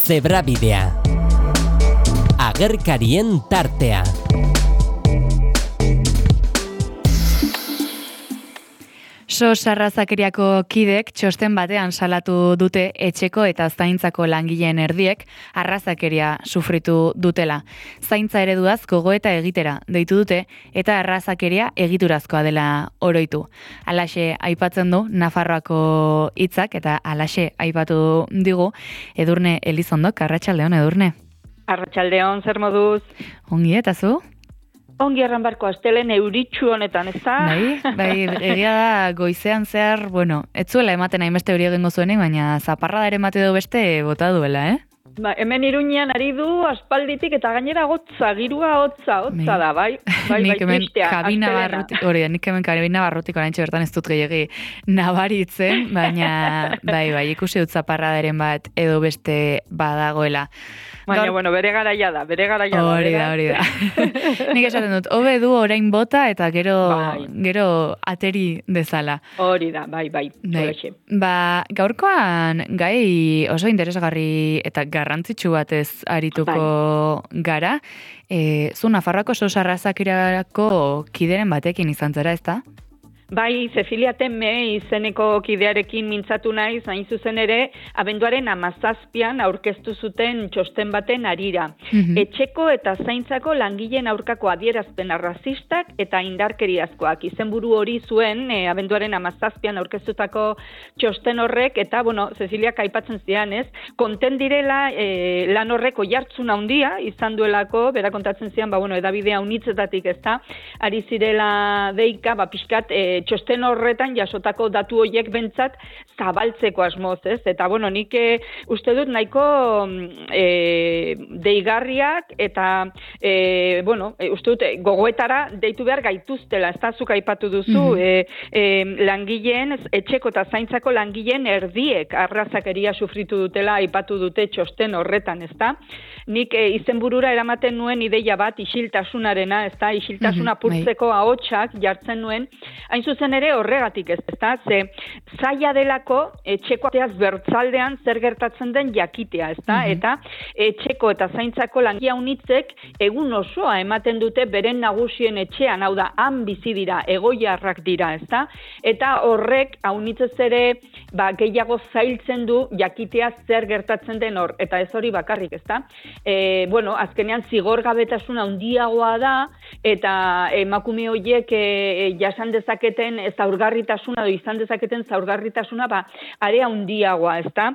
Zebrabidea. Agerkarien tartea. SOS arrazakeriako kidek txosten batean salatu dute etxeko eta zaintzako langileen erdiek arrazakeria sufritu dutela. Zaintza ereduaz gogoeta egitera deitu dute eta arrazakeria egiturazkoa dela oroitu. Halaxe aipatzen du Nafarroako hitzak eta halaxe aipatu digu Edurne Elizondok. Arratsaldeon, Edurne. Arratsaldeon, zer moduz? Ongi eta zu? Ongi erran barko astelen euritxu honetan, ez da? Bai, egia da goizean zehar, ez zuela ematen hainbeste hori egingo zuenik, baina zaparrada ere emate du beste bota duela, Ba, hemen Iruñean ari du aspalditik eta gainera girua hotza da, bai? Nik hemen kabina barrutik oraintxe bertan ez dut gehiagi nabaritzen, baina bai, ikusi dut zaparradaren bat edo beste badagoela. Baina, bere garaia da. Hori da. Nik esaten dut, hobe du orain bota eta gero ateri dezala. Hori da, bai. Ba, gaurkoan gai oso interesgarri eta garrantzitsu batez arituko gara. Zu Nafarroako SOS arrazakeriako kideren batekin izan zara, ezta? Bai, Cecilia Temme izeneko kidearekin mintzatu naiz, hain zuzen ere, abenduaren 17an aurkeztu zuten txosten baten harira. Etxeko eta zaintzako langileen aurkako adierazpen arrazistak eta indarkeriazkoak. Izenburu hori zuen, abenduaren 17an aurkeztutako txosten horrek, eta, Ceciliak aipatzen zian, ez? Konten direla lan horreko jartzun handia izan duelako, bera kontatzen zian, edabidea unitzetatik, ez da? Ari zirela deika, pixkat, txosten horretan jasotako datu horiek bentsat zabaltzeko asmoz, ez? Eta, nik uste dut nahiko deigarriak eta, uste dut gogoetara deitu behar gaituztela, ez da, zuk aipatu duzu, langileen, etxeko eta zaintzako langileen erdiek arrazakeria sufritu dutela aipatu dute txosten horretan, ez da? Nik izenburura eramaten nuen ideia bat isiltasunarena, ez da, isiltasuna purtzeko ahotsak jartzen nuen, hain zuzen ere horregatik ez da, ze zaila delako etxeko ateaz bertzaldean zer gertatzen den jakitea, ez da, eta etxeko eta zaintzako langia unitzek egun osoa ematen dute beren nagusien etxean, hau da, han bizi dira, egoiarrak dira, ez da, eta horrek haunitzez ere gehiago zailtzen du jakitea zer gertatzen den hor, eta ez hori bakarrik, ez da. Azkenean zigorgabetasuna handiagoa da, eta emakume horiek jasan dezaketen zaurgarritasuna edo izan dezaketen zaurgarritasuna are handiagoa, ezta?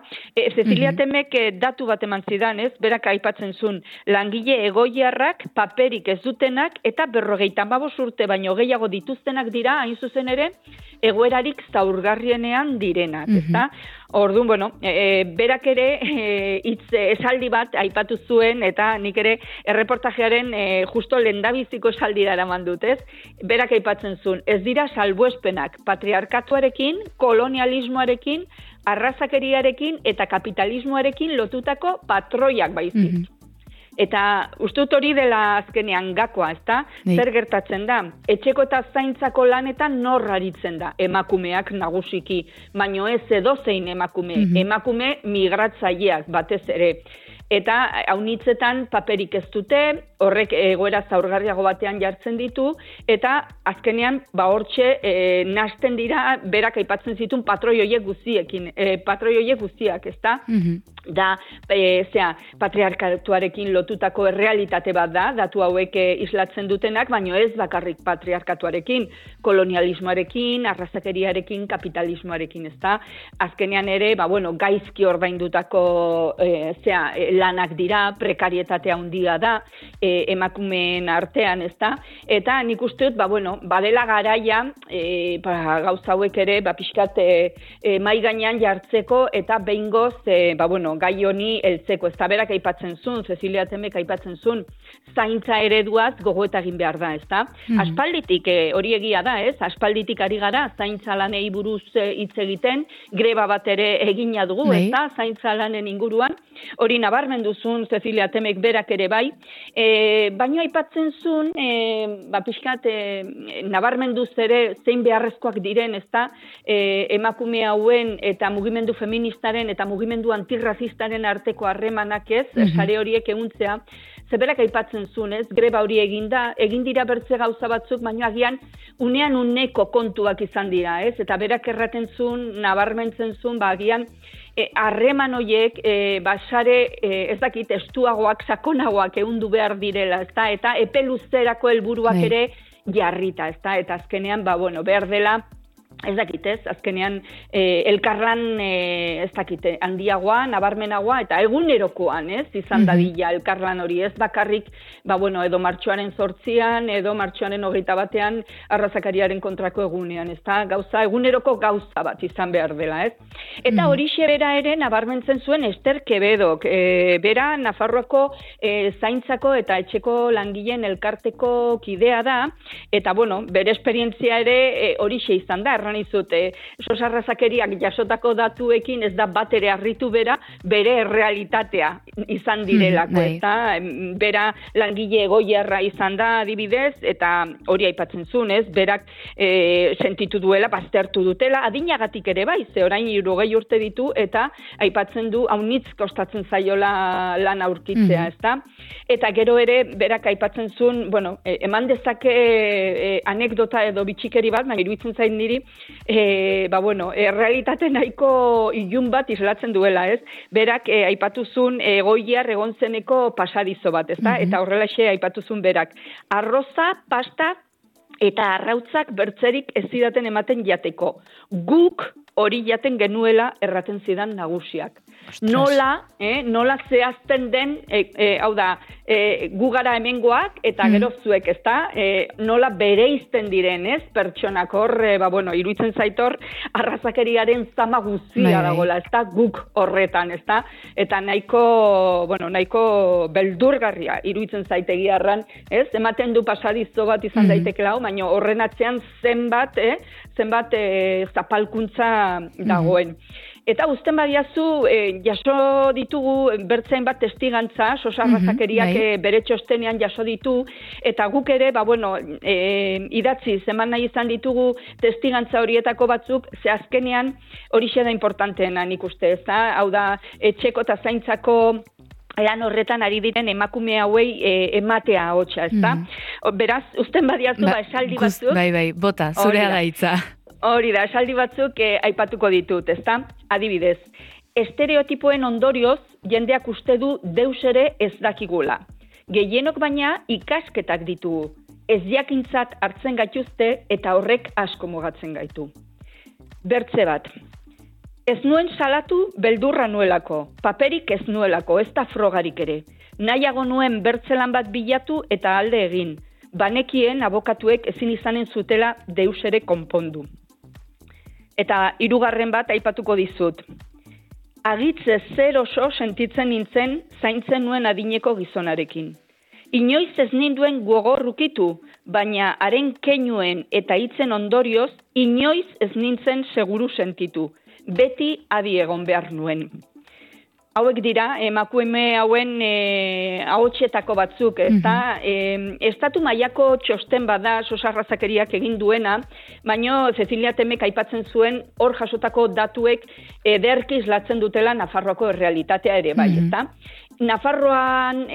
Cecilia Temek datu bat eman zidan, ez? Berak aipatzen zuen langile egoiarrak paperik ez dutenak eta 55 urte baino gehiago dituztenak dira, hain zuzen ere, egoerarik zaurgarrienean direnak, ezta? Orduan, berak ere esaldi bat aipatu zuen, eta nik ere erreportajearen justo lehendabiziko esaldira eraman dut, ez? Berak aipatzen zuen, ez dira salbuespenak patriarkatuarekin, kolonialismoarekin, arrazakeriarekin eta kapitalismoarekin lotutako patroiak baizik. Eta uste dut hori dela azkenean gakoa, ezta? Zer gertatzen da? Etxeko eta zaintzako lanetan nor aritzen da? Emakumeak nagusiki, baino ez edozein emakume. Emakume migratzaileak batez ere. Eta haunitzetan paperik ez dute, horrek egoera zaurgarriago batean jartzen ditu, eta azkenean hortxe nahasten dira berak aipatzen zituen patroi horiek guztiak, ezta? Da, patriarkatuarekin lotutako errealitate bat da, datu hauek islatzen dutenak, baino ez bakarrik patriarkatuarekin, kolonialismoarekin, arrazakeriarekin, kapitalismoarekin, ezta? Azkenean ere, gaizki ordaindutako lanak dira, prekarietatea handia da, emakumeen artean, ezta? Eta nik uste dut, badela garaia, gauza hauek ere, pixkat mai gainean jartzeko, eta behingoz, gai honi heltzeko. Ez da berak aipatzen zuen, Cecilia Temek aipatzen zuen, zaintza ereduaz gogoeta egin behar da, ez da? Aspalditik, hori egia da, ez? Aspalditik ari gara, zaintza lanei buruz hitz egiten, greba bat ere egina dugu, ez da? Zaintza lanen inguruan, hori nabarmendu zuen Cecilia Temek berak ere bai, Baina aipatzen zuen, pixkat, nabarmenduz ere zein beharrezkoak diren, ezta, emakume hauen eta mugimendu feministaren eta mugimendu antirrazistaren arteko harremanak ez, sare horiek ehuntzea, zeberak aipatzen zuen, ez, greba hori egin dira bertze gauza batzuk, baina agian unean uneko kontuak izan dira, ez, eta berak erraten zuen, nabarmentzen zuen, agian, harreman horiek, sare, ez dakit, estuagoak, sakonagoak ehundu behar direla, ezta, eta epe luzerako helburuak ere jarrita, ezta, eta azkenean, behar dela, ez dakit, ez, azkenean elkarlan, ez dakit, handiagoa, nabarmenagoa, eta egunerokoan, ez, izan dadila elkarlan hori, ez bakarrik, edo martxoaren 8an, edo martxoaren 21an, arrazakariaren kontrako egunean, ez da, eguneroko gauza bat izan behar dela, ez. Eta horixe bera ere, nabarmentzen zuen Ester Quebedok, bera Nafarroako zaintzako eta etxeko langileen elkarteko kidea da, eta, bere esperientzia ere horixe izan da, izut, Sos Arrazakeriak jasotako datuekin ez da bat ere harritu bere realitatea izan direlako, eta bera langile egoiarra izan da adibidez, eta hori aipatzen zuen, ez, berak sentitu duela, baztertu dutela, adinagatik ere bai, ze orain 60 urte ditu, eta aipatzen du haunitz kostatzen zaiola lan aurkitzea, ez da? Eta gero ere, berak aipatzen zuen, eman dezake anekdota edo bitxikeri bat, iruditzen zain niri, realitate nahiko ilun bat islatzen duela, ez? Berak aipatu zuen egoiar egon zeneko pasadizo bat, ezta? Eta horrelaxe aipatu zuen berak. Arroza, pasta eta arrautzak bertzerik ez zidaten ematen jateko. Guk hori jaten genuela erraten zidan nagusiak. Nola zehazten den, hau da, gu gara hemengoak eta gero zuek, ezta? Nola bereizten diren, ez? Pertsonak hor, iruditzen zaitor, arrazakeriaren zama guztia dagoela, ezta? Guk horretan, ezta? Eta nahiko beldurgarria iruditzen zaitegiarran, ez? Ematen du pasadizo bat izan daitekela, baina horren atzean zenbat zapalkuntza dagoen. Eta uzten badiazu, jaso ditugu bertzein bat testigantza, Sos Arrazakeriak bere txostenean jaso ditu, eta guk ere, idatzi, eman nahi izan ditugu testigantza horietako batzuk, ze azkenean horixe da importanteena nik uste, ez da? Hau da, etxeko eta zaintzako lan horretan ari diren emakume hauei ematea hotxa, ez da? Beraz, uzten badiazu, esaldi batzuk. Bai, bota, zurea da hitza. Hori da, esaldi batzuk aipatuko ditut, ezta? Adibidez, estereotipoen ondorioz jendeak uste du deus ere ez dakigula. Gehienok baina ikasketak ditugu. Ez jakintzat hartzen gaituzte eta horrek asko mugatzen gaitu. Bertze bat. Ez nuen salatu beldurra nuelako, paperik ez nuelako, ez da frogarik ere. Nahiago nuen bertzelan bat bilatu eta alde egin. Banekien abokatuek ezin izanen zutela deus ere konpondu. Eta 3. bat aipatuko dizut. Agitze zer oso sentitzen nintzen zaintzen nuen adineko gizonarekin. Inoiz ez ninduen gogorrukitu, baina haren keinuen eta hitzen ondorioz, inoiz ez nintzen seguru sentitu. Beti adi egon behar nuen. Hauek dira, emakume hauen ahotsetako batzuk, ezta? Estatu mailako txosten bada Sos Arrazakeriak egin duena, baina Cecilia Temek aipatzen zuen hor jasotako datuek ederki islatzen dutela Nafarroako errealitatea ere bai, ezta? Nafarroan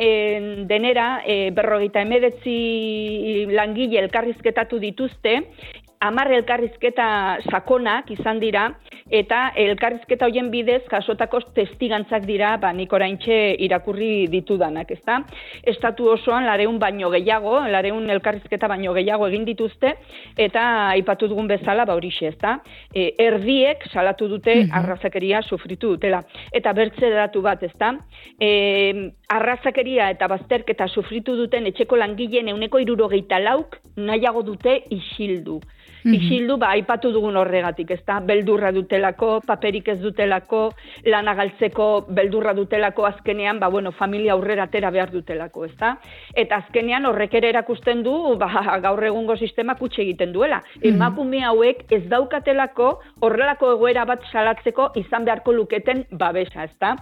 denera 59 langile elkarrizketatu dituzte, 10 elkarrizketa sakonak izan dira, eta elkarrizketa hoien bidez jasotako testigantzak dira, nik oraintxe irakurri ditudanak, ezta? Estatu osoan 200 baino gehiago, 200 elkarrizketa baino gehiago egin dituzte, eta aipatu dugun bezala, horixe, ezta? Erdiek salatu dute arrazakeria sufritu dutela. Eta bertze datu bat, ezta? Arrazakeria eta bazterketa sufritu duten etxeko langileen 74% nahiago dute isildu. Isildu, aipatu dugun horregatik, ezta? Beldurra dutelako, paperik ez dutelako, lana galtzeko beldurra dutelako azkenean, familia aurrera atera behar dutelako, ezta? Eta azkenean horrek ere erakusten du, gaur egungo sistema kutxe egiten duela. Emakume hauek ez daukatelako horrelako egoera bat salatzeko izan beharko luketen babesa, ezta?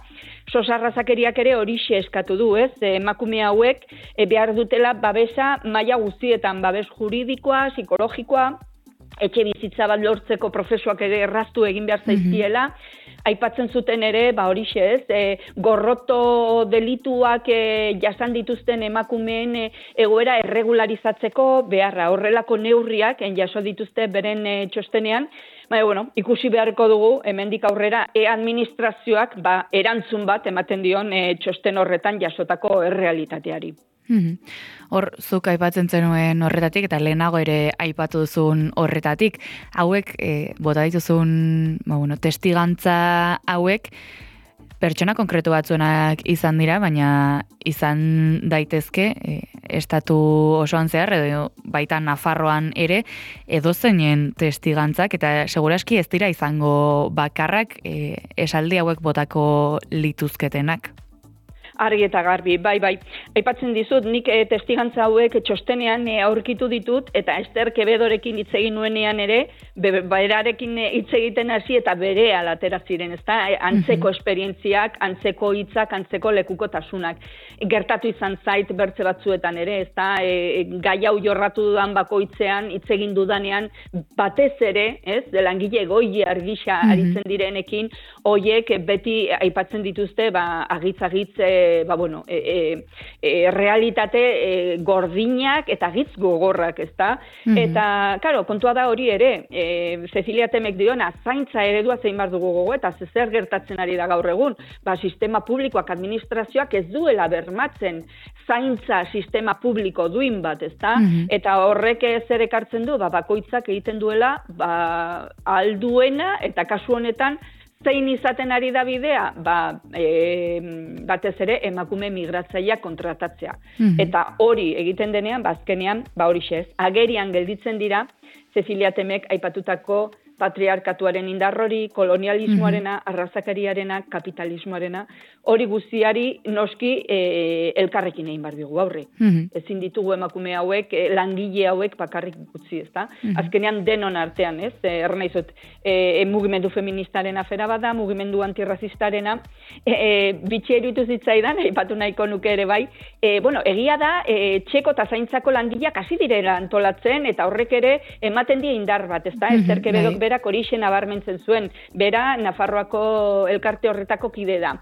SOS Arrazakeriak ere horixe eskatu du, ez? Emakume hauek behar dutela babesa maila guztietan, babes juridikoa, psikologikoa, etxe bizitza bat lortzeko prozesuak ere erraztu egin behar zaizkiela, aipatzen zuten ere, horixe ez, gorroto delituak jasan dituzten emakumeen egoera erregularizatzeko beharra, horrelako neurriak jaso dituzte beren txostenean, ikusi beharko dugu, hemendik aurrera, administrazioak erantzun bat ematen dion txosten horretan jasotako errealitateari. Hor, zuk aipatzen zenuen horretatik, eta lehenago ere aipatu duzun horretatik, hauek, bota dituzun, testigantza hauek, pertsona konkretu batzuenak izan dira, baina izan daitezke, estatu osoan zehar, edo baita Nafarroan ere, edozeinen testigantzak, eta seguraski ez dira izango bakarrak esaldi hauek botako lituzketenak. Argi eta garbi, bai. Aipatzen dizut, nik testigantza hauek txostenean aurkitu ditut, eta Ester Quevedorekin hitz egin nuenean ere, berarekin hitz egiten hasi eta bere alatera ziren, ezta? Antzeko esperientziak, antzeko hitzak, antzeko lekukotasunak. Gertatu izan zait bertze batzuetan ere, ezta? Gai hau jorratu dudan bakoitzean, hitz egin dudanean, batez ere, ez? Langile goi argisa aritzen direnekin, hoiek beti aipatzen dituzte, agitz-agitz realitate gordinak eta gitz gogorrak, ezta? Eta, kontua da hori ere, Cecilia Temek diona, zaintza eredua zein bar dugu gogo, eta zer gertatzen ari da gaur egun, sistema publikoak, administrazioak ez duela bermatzen zaintza sistema publiko duin bat, ezta? Eta horrek zer ekartzen du, bakoitzak egiten duela, alduena, eta kasu honetan, zein izaten ari da bidea, batez ere emakume migratzaileak kontratatzea. Eta hori egiten denean, azkenean, horixe ez, agerian gelditzen dira, Cecilia Temek aipatutako patriarkatuaren indarrori, kolonialismoarena, arrazakariarena, kapitalismoarena, hori guztiari noski elkarrekin egin bar digu aurre. Ezin ditugu emakume hauek, langile hauek bakarrik gutzi, ezta? Azkenean denon artean, ez? Ernaizot, mugimendu feministaren afera bada, mugimendu antirrazistarena, bitxi eruditu zitzaidan, aipatu nahiko nuke ere bai, egia da, txeko eta zaintzako langileak hasi direla antolatzen, eta horrek ere ematen die indar bat, ezta? Ester Quevedok berak horixe nabarmentzen zuen, bera Nafarroako elkarte horretako kide da.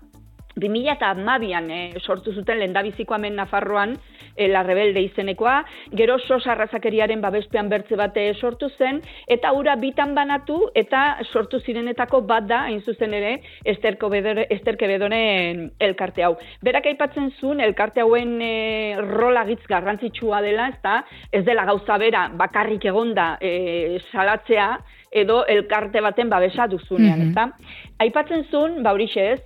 2012an sortu zuten lehendabiziko hemen Nafarroan La Rebelde izenekoa, gero SOS Arrazakeriaren babespean bertze bate sortu zen, eta hura bitan banatu, eta sortu zirenetako bat da, hain zuzen ere, Ester Quevedoren elkarte hau. Berak aipatzen zuen, elkarte hauen rola gitz garrantzitsua dela, ez dela gauza bera, bakarrik egonda salatzea, edo elkarte baten babesa duzunean, ezta? Aipatzen zuen, horixe ez,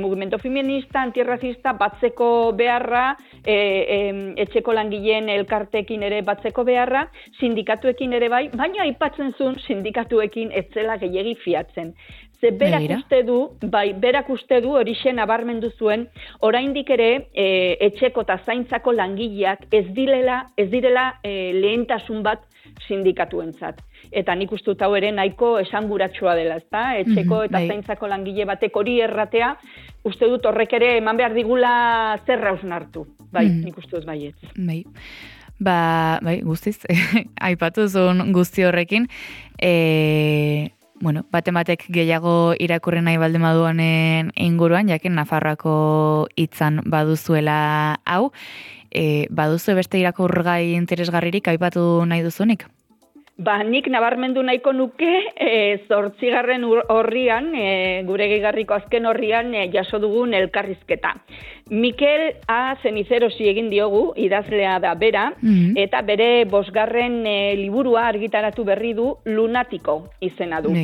mugimento feminista, antirrazista, batzeko beharra, etxeko langileen elkarteekin ere batzeko beharra, sindikatuekin ere bai, baina aipatzen zuen sindikatuekin etzela gehiegi fiatzen. Ze berak uste du horixe nabarmendu zuen, oraindik ere etxeko eta zaintzako langileak ez direla lehentasun bat sindikatuentzat. Eta nik uste dut hau ere nahiko esanguratsua dela, ezta? Etxeko eta zaintzako langile batek hori erratea, uste dut horrek ere eman behar digula zerra hausnartu. Bai, nik uste dut baietz. Bai, guztiz, aipatu zuen guzti horrekin, batek gehiago irakurri nahi baldin baduanen inguruan, jakin Nafarroako hitzan baduzuela hau, baduzu beste irakurgai interesgarririk aipatu nahi duzunik? Nik nabarmendu nahiko nuke 8. orrian, gure gehigarriko azken orrian jaso dugun elkarrizketa. Mikel A. Cenicerosi egin diogu, idazlea da bera, eta bere 5. liburua argitaratu berri du Lunatiko izena du.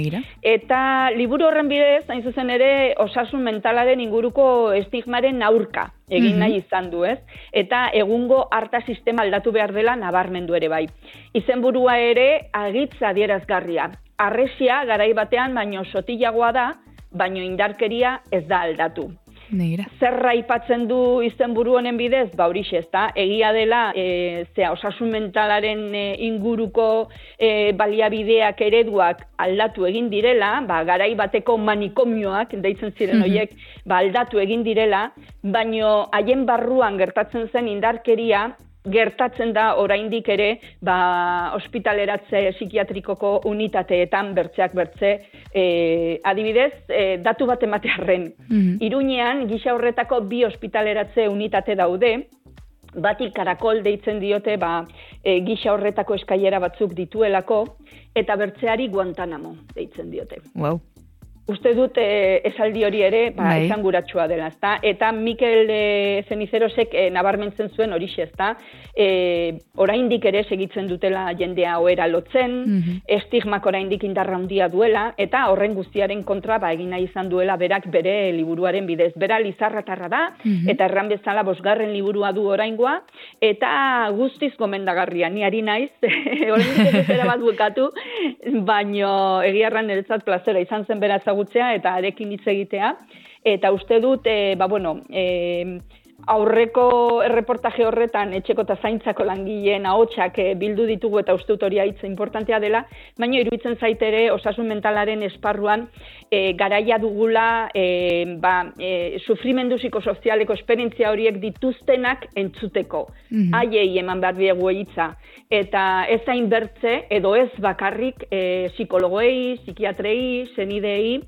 Eta liburu horren bidez, hain zuzen ere, osasun mentalaren inguruko estigmaren aurka egin nahi izan du, ez? Eta egungo harta sistema aldatu behar dela nabarmendu ere bai. Izenburua ere agitz adierazgarria. Arresia garai batean baino sotilagoa da, baino indarkeria ez da aldatu. Negira. Zer aipatzen du izenburu honen bidez? Ba horixe, ezta? Egia dela, osasun mentalaren inguruko baliabideak ereduak aldatu egin direla, ba garai bateko manikomioak deitzen ziren horiek, ba aldatu egin direla, baino haien barruan gertatzen zen indarkeria gertatzen da oraindik ere ospitaleratze psikiatrikoko unitateetan bertzeak bertze, adibidez, datu bat ematearren. Iruñean gisa horretako 2 ospitaleratze unitate daude, bati karakol deitzen diote gisa horretako eskailera batzuk dituelako, eta bertzeari Guantanamo deitzen diote. Wow. Uste dut esaldi hori ere esanguratsua dela, ezta? Eta Mikel Zenizerosek nabarmentzen zuen horixe, ezta? Oraindik ere segitzen dutela jendea ohera lotzen, estigmak oraindik indarra handia duela, eta horren guztiaren kontra egin nahi izan duela berak bere liburuaren bidez. Bera Lizarratarra da, eta erran bezala 5. liburua du oraingoa, eta guztiz gomendagarria. Ni ari naiz, oraindik ez bat bukatu, baino egia erran niretzat plazera izan zen bera ezagutzea eta arekin hitz egitea. Eta uste dut, aurreko erreportaje horretan etxeko eta zaintzako langileen ahotsak bildu ditugu eta uste dut hori hitza importantea dela, baina iruditzen zait ere osasun mentalaren esparruan garaia dugula sufrimendu psikosozialeko esperientzia horiek dituztenak entzuteko. Haiei eman behar diegu hitza. Eta ez hain bertze, edo ez bakarrik psikologoei, psikiatrei, senidei,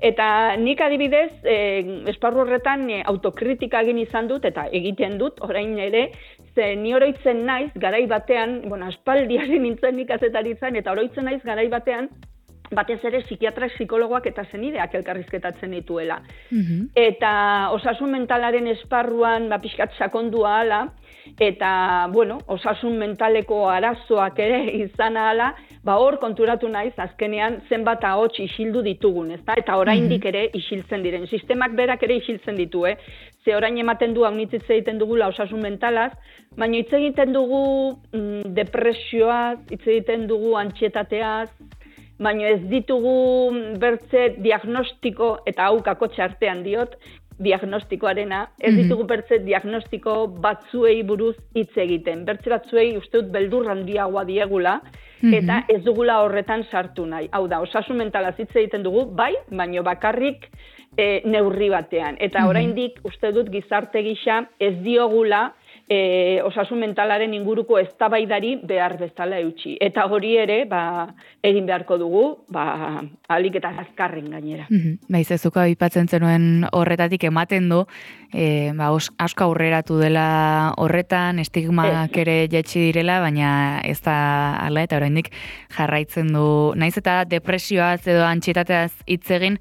eta nik adibidez, esparru horretan autokritika egin izan dut, eta egiten dut, orain ere, ze ni oroitzen naiz, garai batean, aspaldiari nintzen nik kazetaritzan, eta oroitzen naiz garai batean, batez ere psikiatrak, psikologoak eta senideak elkarrizketatzen dituela. Eta osasun mentalaren esparruan pixkat sakondua hala, eta, osasun mentaleko arazoak ere izan ahala, hor konturatu naiz, azkenean zenbat ahots isildu ditugun, ezta? Eta oraindik ere isiltzen diren. Sistemak berak ere isiltzen ditu, Ze orain ematen du, haunitz hitz egiten dugula osasun mentalaz, baina hitz egiten dugu depresioaz, hitz egiten dugu antsietateaz, baina ez ditugu bertze diagnostiko, eta hau kakotxe artean diot, diagnostikoarena, ez ditugu bertze diagnostiko batzuei buruz hitz egiten. Bertze batzuei uste dut beldur handiagoa diegula, eta ez dugula horretan sartu nahi. Hau da, osasun mentalaz hitz egiten dugu, bai, baino bakarrik neurri batean. Eta oraindik uste dut gizarte gisa ez diogula osasun mentalaren inguruko eztabaidari behar bezala eutsi. Eta hori ere, egin beharko dugu, ahalik eta azkarren gainera. Zezuka aipatzen zenuen horretatik ematen du, asko aurreratu dela horretan, estigmak ere jaitsi direla, baina ez da hala, eta oraindik jarraitzen du, naiz eta depresioaz edo antsietateaz hitz egin,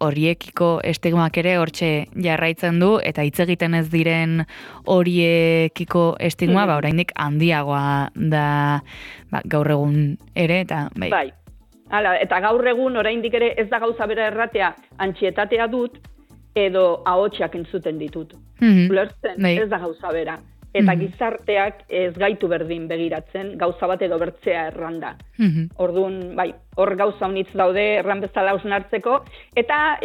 horiekiko estigmak ere hortxe jarraitzen du, eta hitz egiten ez diren horiekiko estigma, oraindik handiagoa da gaur egun ere, eta bai. Hala, eta gaur egun oraindik ere ez da gauza bera erratea, antsietatea dut, edo ahotsak entzuten ditut. Ulertzen, ez da gauza bera. Eta gizarteak ez gaitu berdin begiratzen, gauza bat edo bertzea erranda. Orduan, hor gauza honitz daude erran bezala hausnartzeko, eta,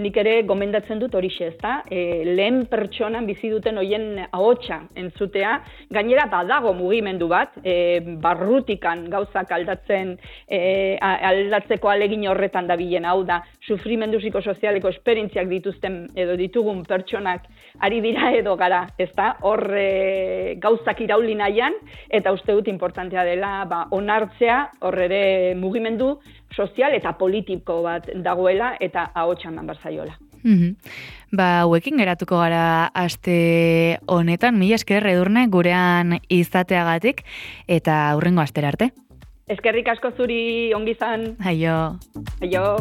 nik ere gomendatzen dut horixe, ezta? Lehen pertsonan bizi duten hoien ahotsa entzutea, gainera badago mugimendu bat, barrutikan gauzak aldatzeko alegin horretan dabilen, hau da, sufrimendu psikosozialeko esperientziak dituzten edo ditugun pertsonak ari dira edo gara, ezta? Hor gauzak irauli nahian, eta uste dut importantea dela onartzea, hor ere mugimendu sozial eta politiko bat dagoela, eta ahotsa eman barzaiola. Hauekin geratuko gara aste honetan, mila esker Edurne gurean izateagatik, eta hurrengo astera arte. Eskerrik asko zuri, ongi izan. Aio. Aio.